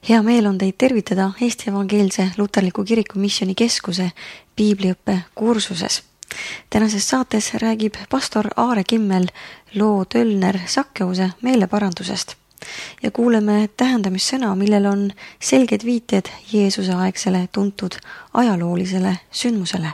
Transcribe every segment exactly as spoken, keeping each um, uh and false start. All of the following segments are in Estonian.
Hea meel on teid tervitada Eesti Evangeelse Luterliku Kiriku Missioni Keskuse piibliõppe kursuses. Tänases saates räägib pastor Aare Kimmel loo Tölner Sakkeuse meeleparandusest ja kuuleme tähendamissõna, millel on selged viited Jeesuse aegsele tuntud ajaloolisele sündmusele.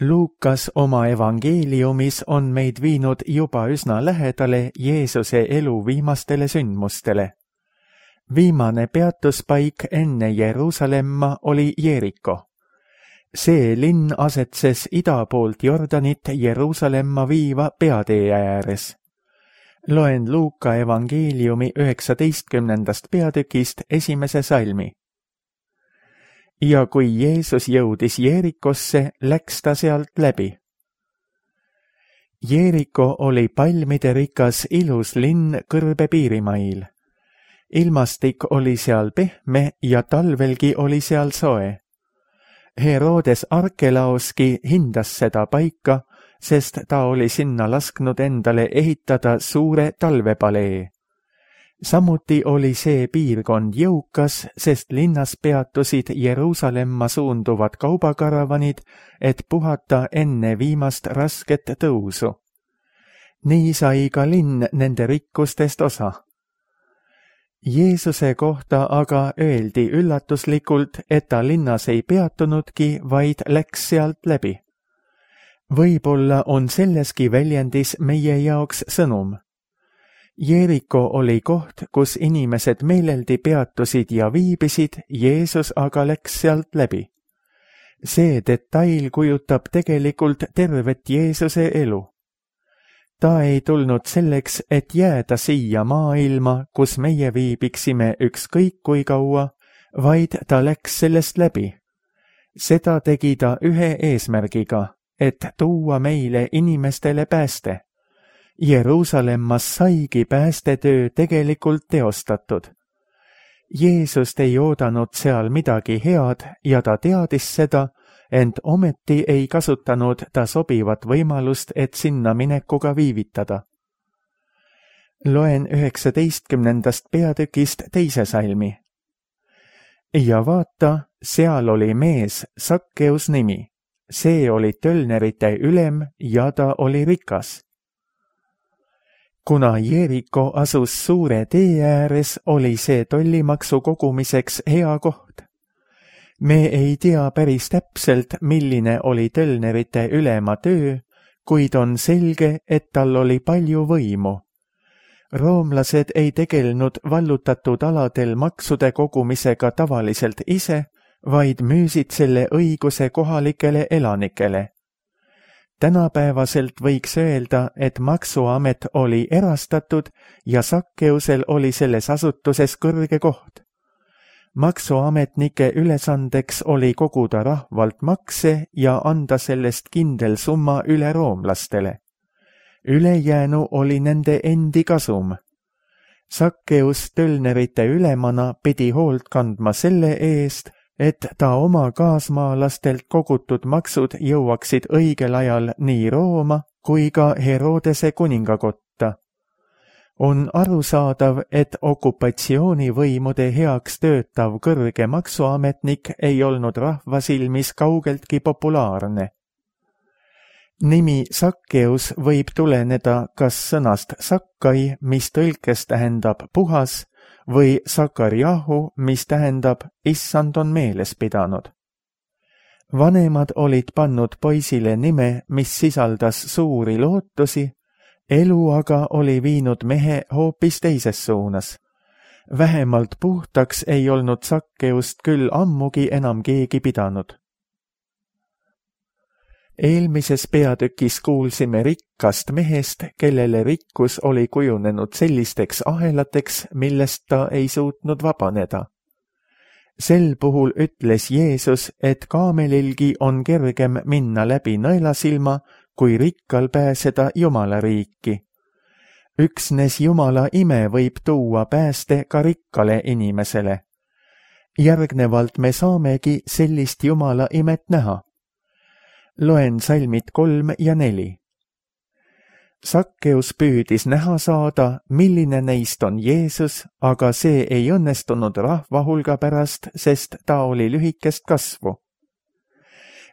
Luukas oma evangeeliumis on meid viinud juba üsna lähedale Jeesuse elu viimastele sündmustele. Viimane peatuspaik enne Jeruusalemma oli Jeriko. See linn asetses ida poolt Jordanit Jeruusalemma viiva peatee ääres. Loen Luuka evangeeliumi üheksateistkümnendast peatükist esimese salmi. Ja kui Jeesus jõudis Jerikosse, läks ta sealt läbi. Jeriko oli palmide rikas ilus linn kõrbe piirimail. Ilmastik oli seal pehme ja talvelgi oli seal soe. Herodes Arkelaoski hindas seda paika, sest ta oli sinna lasknud endale ehitada suure talvepalee. Samuti oli see piirkond jõukas, sest linnas peatusid Jeruusalemma suunduvad kaubakaravanid, et puhata enne viimast rasket tõusu. Nii sai ka linn nende rikkustest osa. Jeesuse kohta aga öeldi üllatuslikult, et ta linnas ei peatunudki, vaid läks sealt läbi. Võib-olla on selleski väljendis meie jaoks sõnum. Jeriko oli koht, kus inimesed meeleldi peatusid ja viibisid, Jeesus aga läks sealt läbi. See detail kujutab tegelikult tervet Jeesuse elu. Ta ei tulnud selleks, et jääda siia maailma, kus meie viibiksime ükskõik kui kaua, vaid ta läks sellest läbi. Seda tegi ta ühe eesmärgiga, et tuua meile inimestele pääste. Jeruusalemmas saigi päästetöö tegelikult teostatud. Jeesust ei oodanud seal midagi head ja ta teadis seda, ent ometi ei kasutanud ta sobivat võimalust, et sinna minekuga viivitada. Loen üheksateistkümnendast peatükist teise salmi. Ja vaata, seal oli mees, Sakkeus nimi. See oli tölnerite ülem ja ta oli rikas. Kuna Jeriko asus suure tee ääres, oli see tollimaksu kogumiseks hea koht. Me ei tea päris täpselt, milline oli tölnerite ülema töö, kuid on selge, et tal oli palju võimu. Roomlased ei tegelnud vallutatud aladel maksude kogumisega tavaliselt ise, vaid müüsid selle õiguse kohalikele elanikele. Tänapäevaselt võiks öelda, et maksuamet oli erastatud ja Sakkeusel oli selles asutuses kõrge koht. Maksuametnike ülesandeks oli koguda rahvalt makse ja anda sellest kindel summa üle roomlastele. Ülejäänu oli nende endi kasum. Sakkeus tölnerite ülemana pidi hoolt kandma selle eest, et ta oma kaasmaalastelt kogutud maksud jõuaksid õigel ajal nii Rooma kui ka Herodese kuningakotta. On arusaadav, et okupatsioonivõimude heaks töötav kõrge maksuametnik ei olnud rahva silmis kaugeltki populaarne. Nimi Sakkeus võib tuleneda kas sõnast Sakkai, mis tõlkes tähendab puhas, või Sakarjahu, mis tähendab issand on meeles pidanud. Vanemad olid pannud poisile nime, mis sisaldas suuri lootusi, elu aga oli viinud mehe hoopis teises suunas. Vähemalt puhtaks ei olnud Sakkeust küll ammugi enam keegi pidanud. Eelmises peatükis kuulsime rikkast mehest, kellele rikkus oli kujunenud sellisteks ahelateks, millest ta ei suutnud vabaneda. Sel puhul ütles Jeesus, et kaamelilgi on kergem minna läbi nõelasilma, kui rikkal pääseda Jumala riiki. Üksnes Jumala ime võib tuua pääste ka rikkale inimesele. Järgnevalt me saamegi sellist Jumala imet näha. Loen salmid kolm ja neli. Sakkeus püüdis näha saada, milline neist on Jeesus, aga see ei õnnestunud rahva hulga pärast, sest ta oli lühikest kasvu.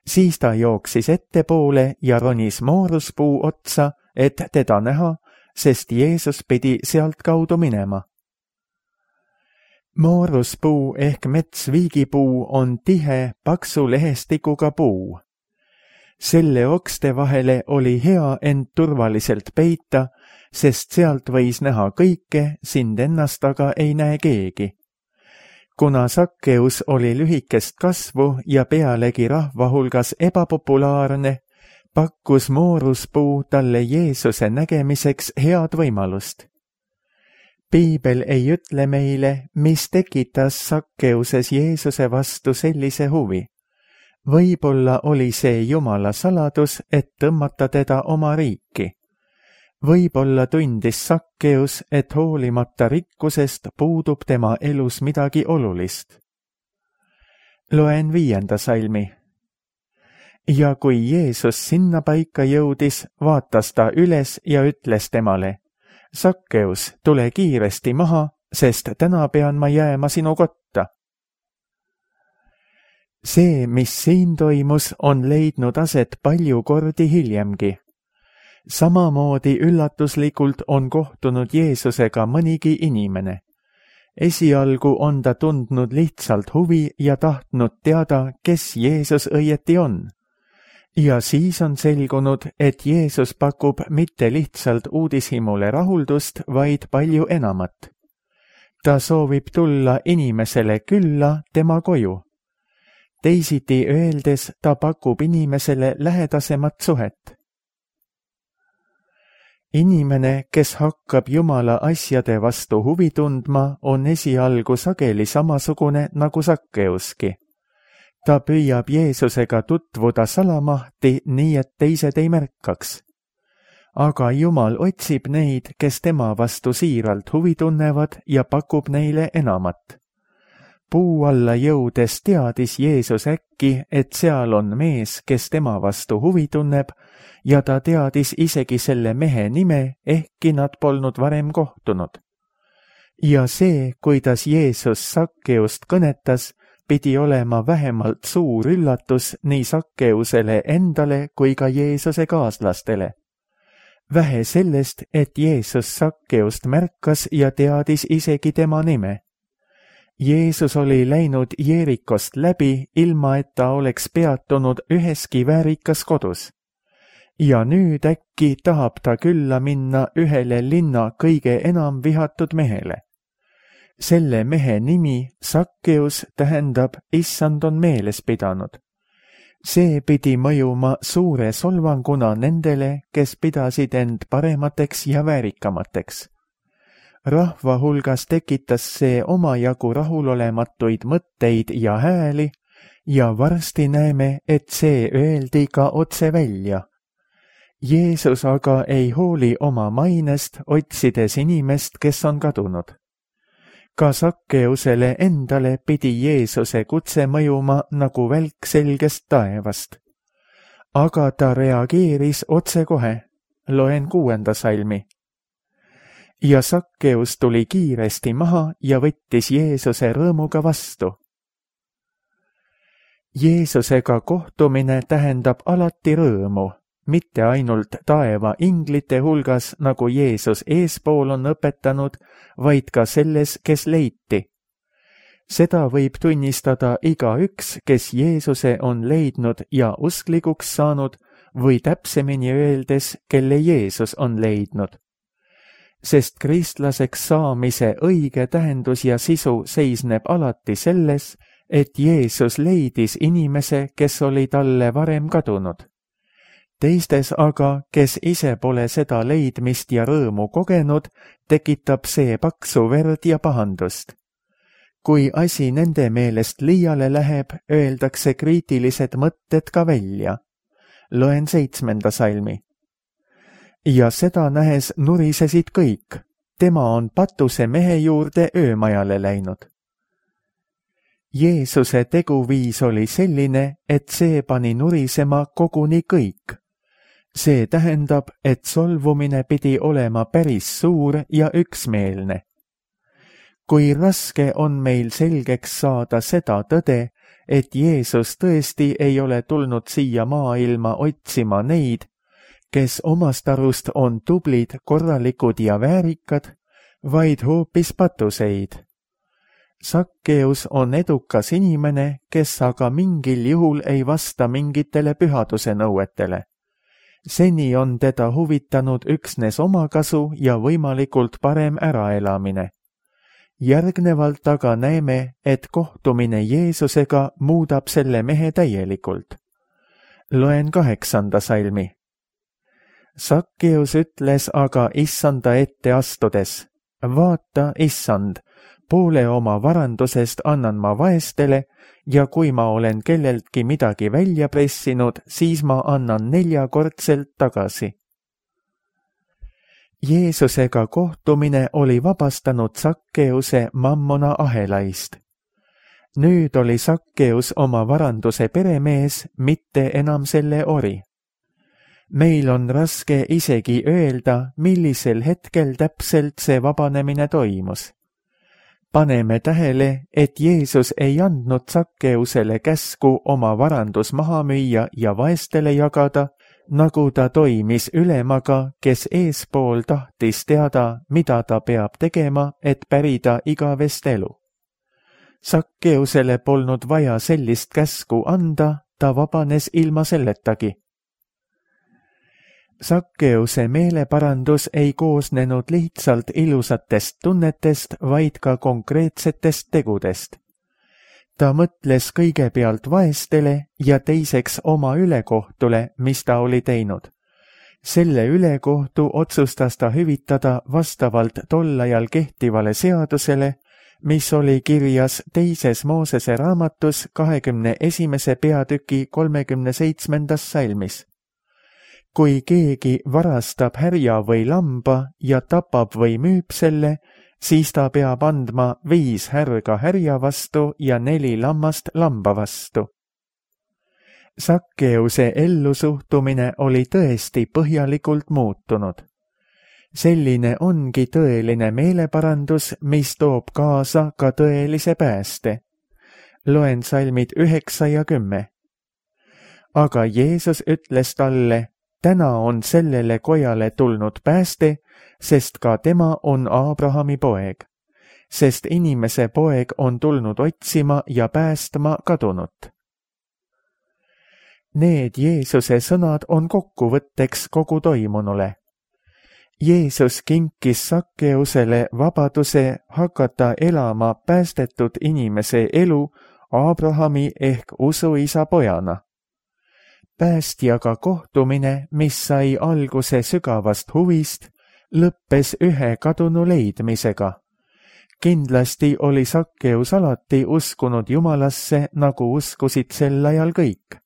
Siis ta jooksis ettepoole ja ronis mooruspuu otsa, et teda näha, sest Jeesus pidi sealt kaudu minema. Mooruspuu ehk metsviigipuu on tihe, paksu lehestikuga puu. Selle okste vahele oli hea end turvaliselt peita, sest sealt võis näha kõike, sind ennast aga ei näe keegi. Kuna Sakkeus oli lühikest kasvu ja pealegi rahva hulgas ebapopulaarne, pakkus mooruspuu talle Jeesuse nägemiseks head võimalust. Piibel ei ütle meile, mis tekitas Sakkeuses Jeesuse vastu sellise huvi. Võib-olla oli see Jumala saladus, et tõmmata teda oma riiki. Võib-olla tundis Sakkeus, et hoolimata rikkusest puudub tema elus midagi olulist. Loen viienda salmi. Ja kui Jeesus sinna paika jõudis, vaatas ta üles ja ütles temale, Sakkeus, tule kiiresti maha, sest täna pean ma jääma sinu kotta. See, mis siin toimus, on leidnud aset palju kordi hiljemgi. Samamoodi üllatuslikult on kohtunud Jeesusega mõnigi inimene. Esialgu on ta tundnud lihtsalt huvi ja tahtnud teada, kes Jeesus õieti on. Ja siis on selgunud, et Jeesus pakub mitte lihtsalt uudishimule rahuldust, vaid palju enamat. Ta soovib tulla inimesele külla tema koju. Teisiti öeldes ta pakub inimesele lähedasemat suhet. Inimene, kes hakkab Jumala asjade vastu huvi tundma, on esialgu sageli samasugune nagu Sakkeuski. Ta püüab Jeesusega tutvuda salamahti, nii et teised ei märkaks. Aga Jumal otsib neid, kes tema vastu siiralt huvi tunnevad ja pakub neile enamat. Puu alla jõudes teadis Jeesus äkki, et seal on mees, kes tema vastu huvi tunneb, ja ta teadis isegi selle mehe nime, ehkki nad polnud varem kohtunud. Ja see, kuidas Jeesus Sakkeust kõnetas, pidi olema vähemalt suur üllatus nii Sakkeusele endale kui ka Jeesuse kaaslastele. Vähe sellest, et Jeesus Sakkeust märkas ja teadis isegi tema nime. Jeesus oli läinud Jeerikost läbi, ilma et ta oleks peatunud üheski väärikas kodus. Ja nüüd äkki tahab ta külla minna ühele linna kõige enam vihatud mehele. Selle mehe nimi, Sakkeus, tähendab, issand on meeles pidanud. See pidi mõjuma suure solvanguna nendele, kes pidasid end paremateks ja väärikamateks. Rahva hulgas tekitas see omajagu rahulolematuid mõtteid ja hääli ja varsti näeme, et see öeldi ka otse välja. Jeesus aga ei hooli oma mainest, otsides inimest, kes on kadunud. Ka Sakkeusele endale pidi Jeesuse kutse mõjuma nagu välk selgest taevast. Aga ta reageeris otsekohe. Loen kuuenda salmi. Ja Sakkeus tuli kiiresti maha ja võttis Jeesuse rõõmuga vastu. Jeesusega kohtumine tähendab alati rõõmu, mitte ainult taeva inglite hulgas, nagu Jeesus eespool on õpetanud, vaid ka selles, kes leiti. Seda võib tunnistada igaüks, kes Jeesuse on leidnud ja usklikuks saanud, või täpsemini öeldes, kelle Jeesus on leidnud. Sest kristlaseks saamise õige tähendus ja sisu seisneb alati selles, et Jeesus leidis inimese, kes oli talle varem kadunud. Teistes aga, kes ise pole seda leidmist ja rõõmu kogenud, tekitab see paksu verd ja pahandust. Kui asi nende meelest liiale läheb, öeldakse kriitilised mõtted ka välja. Loen seitsmenda salmi. Ja seda nähes nurisesid kõik. Tema on patuse mehe juurde öömajale läinud. Jeesuse teguviis oli selline, et see pani nurisema koguni kõik. see tähendab, et solvumine pidi olema päris suur ja üksmeelne. Kui raske on meil selgeks saada seda tõde, et Jeesus tõesti ei ole tulnud siia maailma otsima neid, kes omast arust on tublid, korralikud ja väärikad, vaid hoopis patuseid. Sakkeus on edukas inimene, kes aga mingil juhul ei vasta mingitele pühaduse nõuetele. Seni on teda huvitanud üksnes omakasu ja võimalikult parem äraelamine. Järgnevalt aga näeme, et kohtumine Jeesusega muudab selle mehe täielikult. Loen kaheksanda salmi. Sakkeus ütles aga issanda ette astudes, vaata, issand, poole oma varandusest annan ma vaestele ja kui ma olen kelleltki midagi välja pressinud, siis ma annan neljakordselt tagasi. Jeesusega kohtumine oli vabastanud Sakkeuse mammona ahelaist. Nüüd oli Sakkeus oma varanduse peremees, mitte enam selle ori. Meil on raske isegi öelda, millisel hetkel täpselt see vabanemine toimus. Paneme tähele, et Jeesus ei andnud Sakkeusele käsku oma varandus maha müüa ja vaestele jagada, nagu ta toimis ülemaga, kes eespool tahtis teada, mida ta peab tegema, et pärida igavest elu. Sakkeusele polnud vaja sellist käsku anda, ta vabanes ilma selletagi. Sakkeuse meeleparandus ei koosnenud lihtsalt ilusatest tunnetest, vaid ka konkreetsetest tegudest. Ta mõtles kõigepealt vaestele ja teiseks oma ülekohtule, mis ta oli teinud. Selle ülekohtu otsustas ta hüvitada vastavalt tollajal kehtivale seadusele, mis oli kirjas teises Moosese raamatus kahekümne esimese peatüki kolmekümne seitsmendas salmis. Kui keegi varastab härja või lamba ja tapab või müüb selle, siis ta peab andma viis härga härja vastu ja neli lammast lamba vastu. Sakkeuse ellusuhtumine oli tõesti põhjalikult muutunud. Selline ongi tõeline meeleparandus, mis toob kaasa ka tõelise pääste. Loen salmid üheksa ja kümme. Aga Jeesus ütles talle, täna on sellele kojale tulnud pääste, sest ka tema on Abrahami poeg. Sest inimese poeg on tulnud otsima ja päästma kadunut. Need Jeesuse sõnad on kokkuvõtteks kogu toimunule. Jeesus kinkis Sakkeusele vabaduse hakata elama päästetud inimese elu Abrahami ehk usuisa pojana. Päästjaga kohtumine, mis sai alguse sügavast huvist, lõppes ühe kadunu leidmisega. Kindlasti oli Sakkeus alati uskunud Jumalasse, nagu uskusid sel ajal kõik.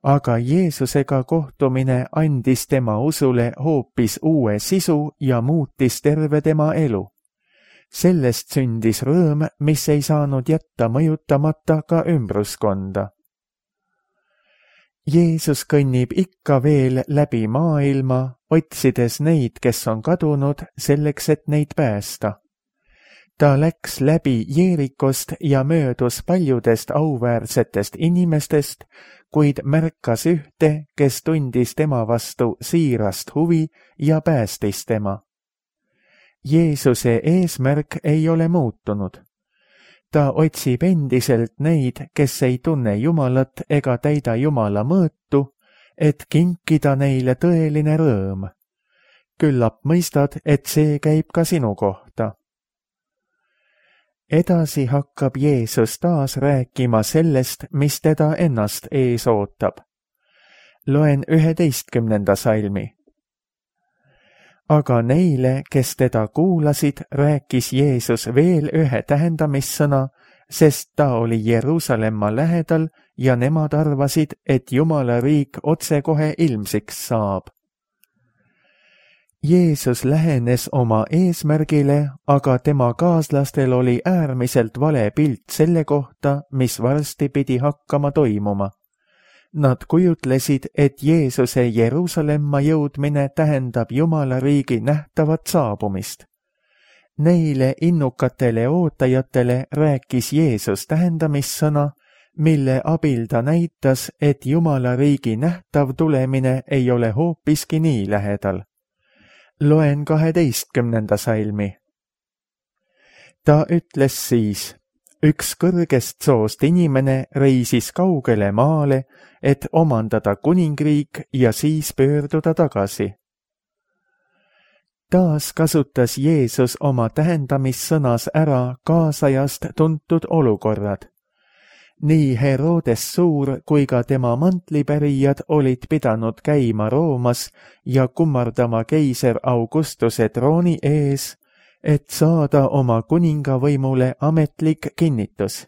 Aga Jeesusega kohtumine andis tema usule hoopis uue sisu ja muutis terve tema elu. Sellest sündis rõõm, mis ei saanud jätta mõjutamata ka ümbruskonda. Jeesus kõnnib ikka veel läbi maailma, otsides neid, kes on kadunud, selleks, et neid päästa. Ta läks läbi Jeerikost ja möödus paljudest auväärsetest inimestest, kuid märkas ühte, kes tundis tema vastu siirast huvi ja päästis tema. Jeesuse eesmärk ei ole muutunud. Ta otsib endiselt neid, kes ei tunne Jumalat ega täida Jumala mõõtu, et kinkida neile tõeline rõõm. Küllap mõistad, et see käib ka sinu kohta. Edasi hakkab Jeesus taas rääkima sellest, mis teda ennast ees ootab. Loen üheteistkümnenda salmi. Aga neile, kes teda kuulasid, rääkis Jeesus veel ühe tähendamissõna, sest ta oli Jeruusalemma lähedal ja nemad arvasid, et Jumala riik otsekohe ilmsiks saab. Jeesus lähenes oma eesmärgile, aga tema kaaslastel oli äärmiselt vale pilt selle kohta, mis varsti pidi hakkama toimuma. Nad kujutlesid, et Jeesuse Jeruusalemma jõudmine tähendab Jumala riigi nähtavat saabumist. Neile innukatele ootajatele rääkis Jeesus tähendamissõna, mille abil ta näitas, et Jumala riigi nähtav tulemine ei ole hoopiski nii lähedal. Loen kaheteistkümnenda salmi. Ta ütles siis, üks kõrgest soost inimene reisis kaugele maale, et omandada kuningriik ja siis pöörduda tagasi. Taas kasutas Jeesus oma tähendamissõnas ära kaasajast tuntud olukorrad. Nii Herodes Suur kui ka tema mantlipärijad olid pidanud käima Roomas ja kummardama keiser Augustuse trooni ees, et saada oma kuningavõimule ametlik kinnitus.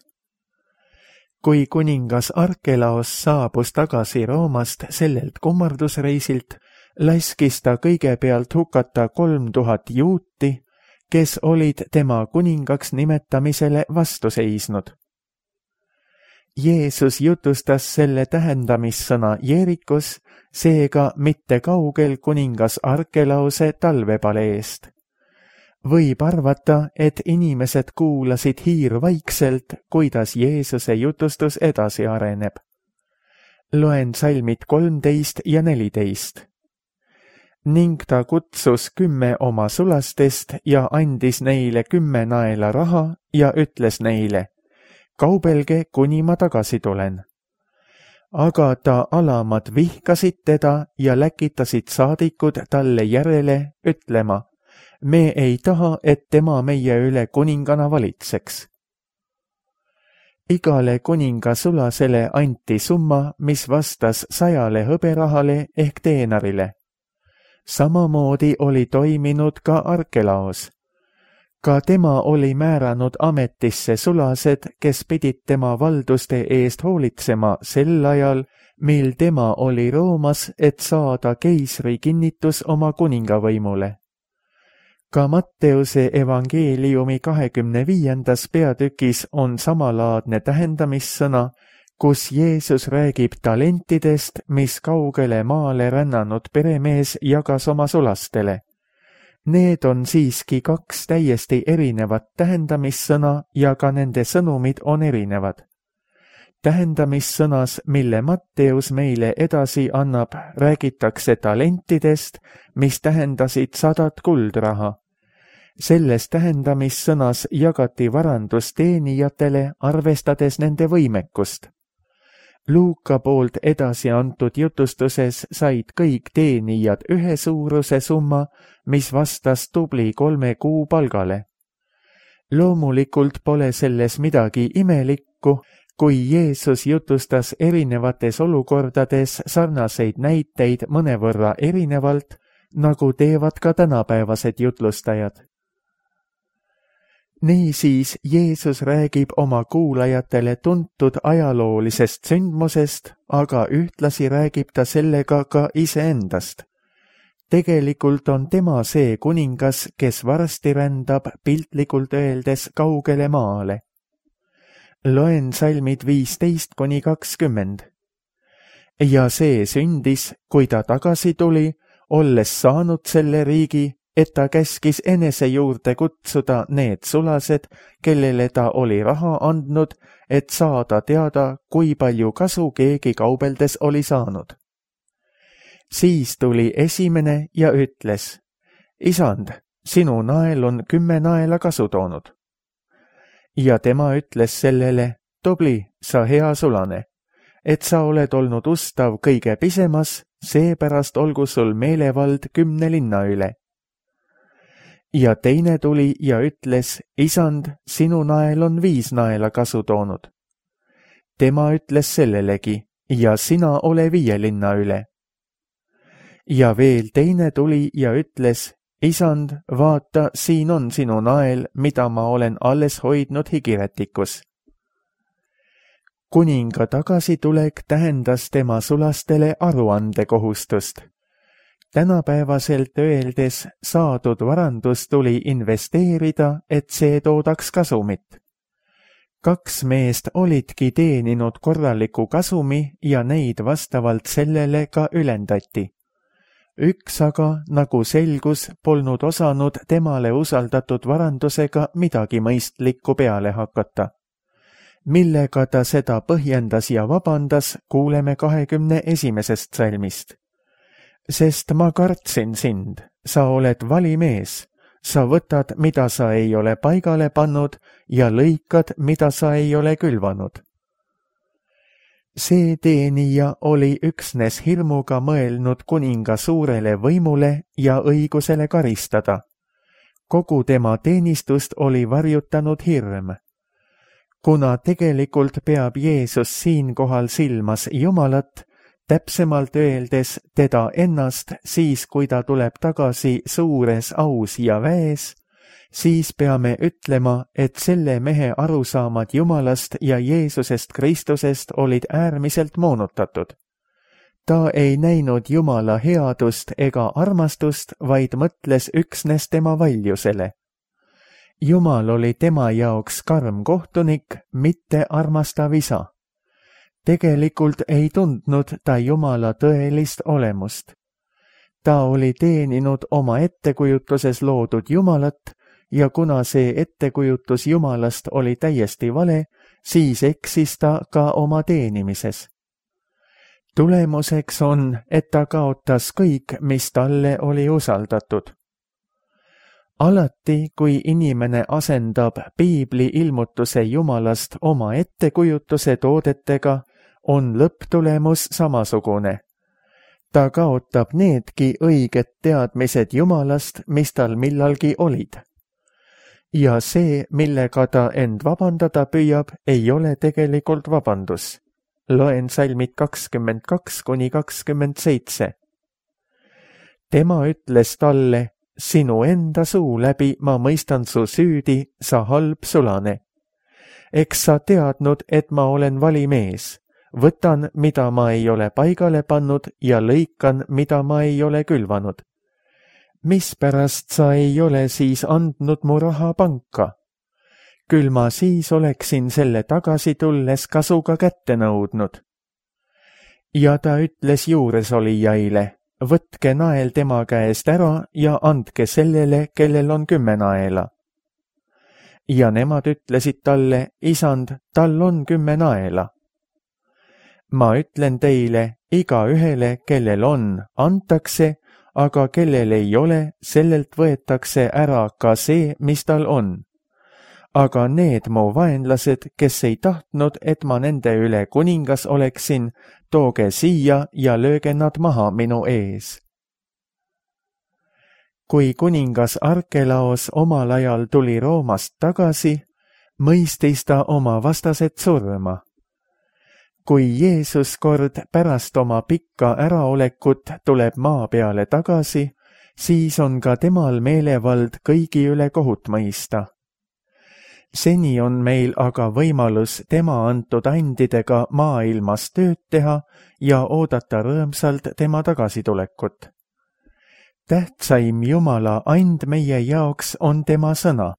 Kui kuningas Arkelaos saabus tagasi Roomast sellelt kummardusreisilt, laskis ta kõigepealt hukata kolm tuhat juuti, kes olid tema kuningaks nimetamisele vastu seisnud. Jeesus jutustas selle tähendamissõna Jeerikus, seega mitte kaugel kuningas Arkelaose talvepaleest. Võib arvata, et inimesed kuulasid hiirvaikselt, kuidas Jeesuse jutustus edasi areneb. Loen salmid kolmteist ja neliteist. Ning ta kutsus kümme oma sulastest ja andis neile kümme naela raha ja ütles neile, kaubelge, kuni ma tagasi tulen. Aga ta alamad vihkasid teda ja läkitasid saadikud talle järele ütlema, me ei taha, et tema meie üle kuningana valitseks. Igale kuninga sulasele anti summa, mis vastas sajale hõberahale ehk teenarile. Samamoodi oli toiminud ka Arkelaos. Ka tema oli määranud ametisse sulased, kes pidid tema valduste eest hoolitsema sel ajal, mil tema oli Roomas, et saada keisri kinnitus oma kuningavõimule. Ka Matteuse evangeeliumi kahekümne viiendas peatükis on samalaadne tähendamissõna, kus Jeesus räägib talentidest, mis kaugele maale rännanud peremees jagas oma sulastele. Need on siiski kaks täiesti erinevat tähendamissõna ja ka nende sõnumid on erinevad. Tähendamissõnas, mille Matteus meile edasi annab, räägitakse talentidest, mis tähendasid sadat kuldraha. Selles tähendamissõnas jagati varandus teenijatele, arvestades nende võimekust. Luuka poolt edasi antud jutustuses said kõik teenijad ühe suuruse summa, mis vastas tubli kolme kuu palgale. Loomulikult pole selles midagi imelikku, kui Jeesus jutustas erinevates olukordades sarnaseid näiteid mõnevõrra erinevalt, nagu teevad ka tänapäevased jutlustajad. Niisiis Jeesus räägib oma kuulajatele tuntud ajaloolisest sündmusest, aga ühtlasi räägib ta sellega ka iseendast. Tegelikult on tema see kuningas, kes varsti rändab piltlikult öeldes kaugele maale. Loen salmid viisteist kuni kakskümmend. Ja see sündis, kui ta tagasi tuli, olles saanud selle riigi, et ta käskis enese juurde kutsuda need sulased, kellele ta oli raha andnud, et saada teada, kui palju kasu keegi kaubeldes oli saanud. Siis tuli esimene ja ütles, isand, sinu nael on kümme naela kasu toonud. Ja tema ütles sellele, tubli, sa hea sulane, et sa oled olnud ustav kõige pisemas, seepärast olgu sul meelevald kümne linna üle. Ja teine tuli ja ütles, isand, sinu nael on viis naela kasu toonud. Tema ütles sellelegi, ja sina ole viie linna üle. Ja veel teine tuli ja ütles, isand, vaata, siin on sinu nael, mida ma olen alles hoidnud higirätikus. Kuninga tagasitulek tähendas tema sulastele aruandekohustust. Tänapäevaselt öeldes saadud varandus tuli investeerida, et see toodaks kasumit. kaks meest olidki teeninud korraliku kasumi ja neid vastavalt sellele ka ülendati. Üks aga, nagu selgus, polnud osanud temale usaldatud varandusega midagi mõistlikku peale hakata. Millega ta seda põhjendas ja vabandas, kuuleme kahekümne esimesest salmist. Sest ma kartsin sind, sa oled valimees, sa võtad, mida sa ei ole paigale pannud ja lõikad, mida sa ei ole külvanud. See teenija oli üksnes hirmuga mõelnud kuninga suurele võimule ja õigusele karistada. Kogu tema teenistust oli varjutanud hirm. Kuna tegelikult peab Jeesus siinkohal silmas Jumalat, täpsemalt öeldes teda ennast siis, kui ta tuleb tagasi suures aus ja väes, siis peame ütlema, et selle mehe arusaamad Jumalast ja Jeesusest Kristusest olid äärmiselt moonutatud. Ta ei näinud Jumala headust ega armastust, vaid mõtles üksnes tema valjusele. Jumal oli tema jaoks karm kohtunik, mitte armastav isa. Tegelikult ei tundnud ta Jumala tõelist olemust. Ta oli teeninud oma ettekujutuses loodud Jumalat ja kuna see ettekujutus Jumalast oli täiesti vale, siis eksis ta ka oma teenimises. Tulemuseks on, et ta kaotas kõik, mis talle oli usaldatud. Alati, kui inimene asendab piibli ilmutuse Jumalast oma ettekujutuse toodetega, on lõpptulemus samasugune. Ta kaotab needki õiged teadmised Jumalast, mis tal millalgi olid. Ja see, millega ta end vabandada püüab, ei ole tegelikult vabandus. Loen salmid kakskümmend kaks kuni kakskümmend seitse. Tema ütles talle, sinu enda suu läbi ma mõistan su süüdi, sa halb sulane. Eks sa teadnud, et ma olen valimees. Võtan, mida ma ei ole paigale pannud ja lõikan, mida ma ei ole külvanud. Mispärast sa ei ole siis andnud mu raha panka? Küll ma siis oleksin selle tagasi tulles kasuga kätte nõudnud. Ja ta ütles juuresolijaile, võtke nael tema käest ära ja andke sellele, kellel on kümme naela. Ja nemad ütlesid talle, isand, tal on kümme naela. Ma ütlen teile, iga ühele, kellel on, antakse, aga kellel ei ole, sellelt võetakse ära ka see, mis tal on. Aga need mu vaenlased, kes ei tahtnud, et ma nende üle kuningas oleksin, tooge siia ja lööge nad maha minu ees. Kui kuningas Arkelaos omal ajal tuli Roomast tagasi, mõistis ta oma vastased surma. Kui Jeesus kord pärast oma pikka äraolekut tuleb maa peale tagasi, siis on ka temal meelevald kõigi üle kohut mõista. Seni on meil aga võimalus tema antud andidega maailmas tööd teha ja oodata rõõmsalt tema tagasitulekut. Tähtsaim Jumala and meie jaoks on tema sõna.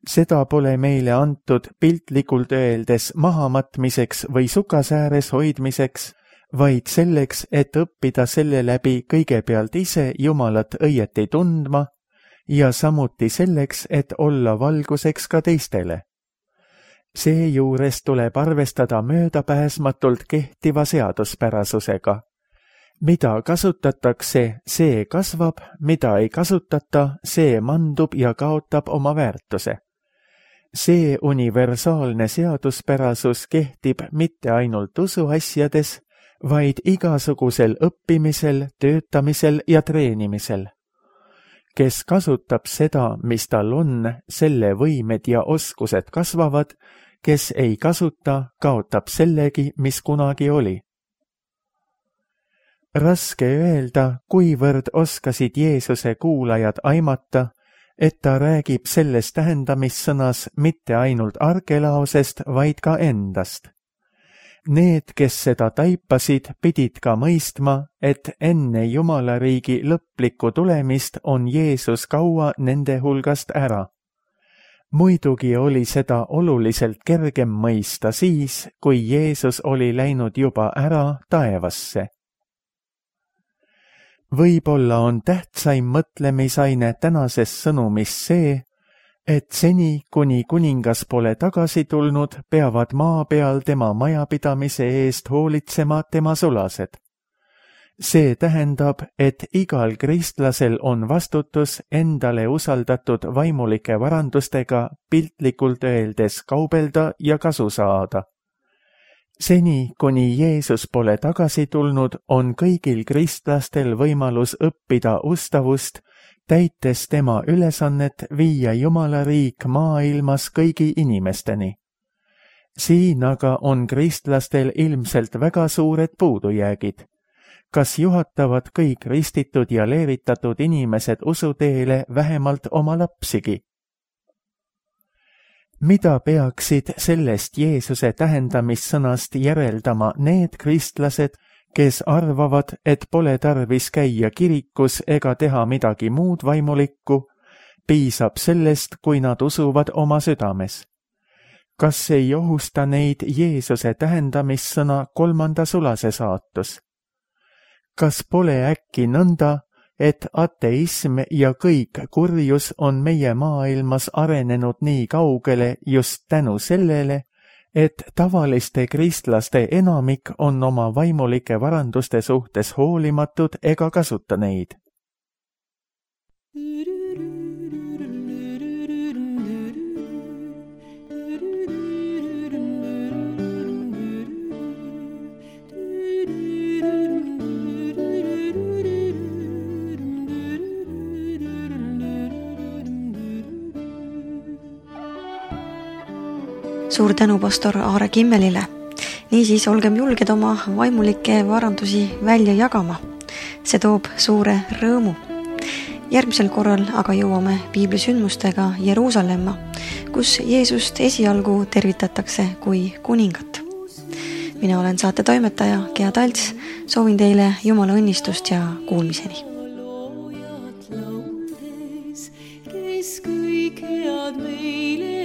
Seda pole meile antud piltlikult öeldes mahamatmiseks või sukasääres hoidmiseks, vaid selleks, et õppida selle läbi kõigepealt ise Jumalat õieti tundma ja samuti selleks, et olla valguseks ka teistele. Seejuures tuleb arvestada möödapääsmatult kehtiva seaduspärasusega. Mida kasutatakse, see kasvab, mida ei kasutata, see mandub ja kaotab oma väärtuse. See universaalne seaduspärasus kehtib mitte ainult usuasjades, vaid igasugusel õppimisel, töötamisel ja treenimisel. Kes kasutab seda, mis tal on, selle võimed ja oskused kasvavad, kes ei kasuta, kaotab sellegi, mis kunagi oli. Raske öelda, kuivõrd oskasid Jeesuse kuulajad aimata, et ta räägib selles tähendamissõnas mitte ainult Arkelaosest, vaid ka endast. Need, kes seda taipasid, pidid ka mõistma, et enne Jumalariigi lõplikku tulemist on Jeesus kaua nende hulgast ära. muidugi oli seda oluliselt kergem mõista siis, kui Jeesus oli läinud juba ära taevasse. Võib-olla on tähtsaim mõtlemisaine tänases sõnumis see, et seni, kuni kuningas pole tagasi tulnud, peavad maa peal tema majapidamise eest hoolitsema tema sulased. See tähendab, et igal kristlasel on vastutus endale usaldatud vaimulike varandustega piltlikult öeldes kaubelda ja kasu saada. Seni, kuni Jeesus pole tagasi tulnud, on kõigil kristlastel võimalus õppida ustavust, täites tema ülesannet viia Jumala riik maailmas kõigi inimesteni. Siin aga on kristlastel ilmselt väga suured puudujäägid. Kas juhatavad kõik ristitud ja leevitatud inimesed usuteele vähemalt oma lapsigi? Mida peaksid sellest Jeesuse tähendamissõnast järeldama need kristlased, kes arvavad, et pole tarvis käia kirikus ega teha midagi muud vaimulikku, piisab sellest, kui nad usuvad oma südames? Kas ei ohusta neid Jeesuse tähendamissõna kolmanda sulase saatus? Kas pole äkki nõnda, et ateism ja kõik kurjus on meie maailmas arenenud nii kaugele just tänu sellele, et tavaliste kristlaste enamik on oma vaimulike varanduste suhtes hoolimatud ega kasuta neid? Suur tänu pastor Aare Kimmelile. Niisiis olgem julged oma vaimulikke varandusi välja jagama. See toob suure rõõmu. Järgmisel korral aga jõuame piiblisündmustega Jeruusalemma, kus Jeesust esialgu tervitatakse kui kuningat. Mina olen saate toimetaja Gea Talts. Soovin teile Jumala õnnistust ja kuulmiseni. Kes kõik head meile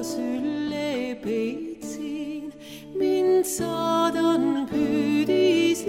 Sülle peitsin, mind saadan püüdis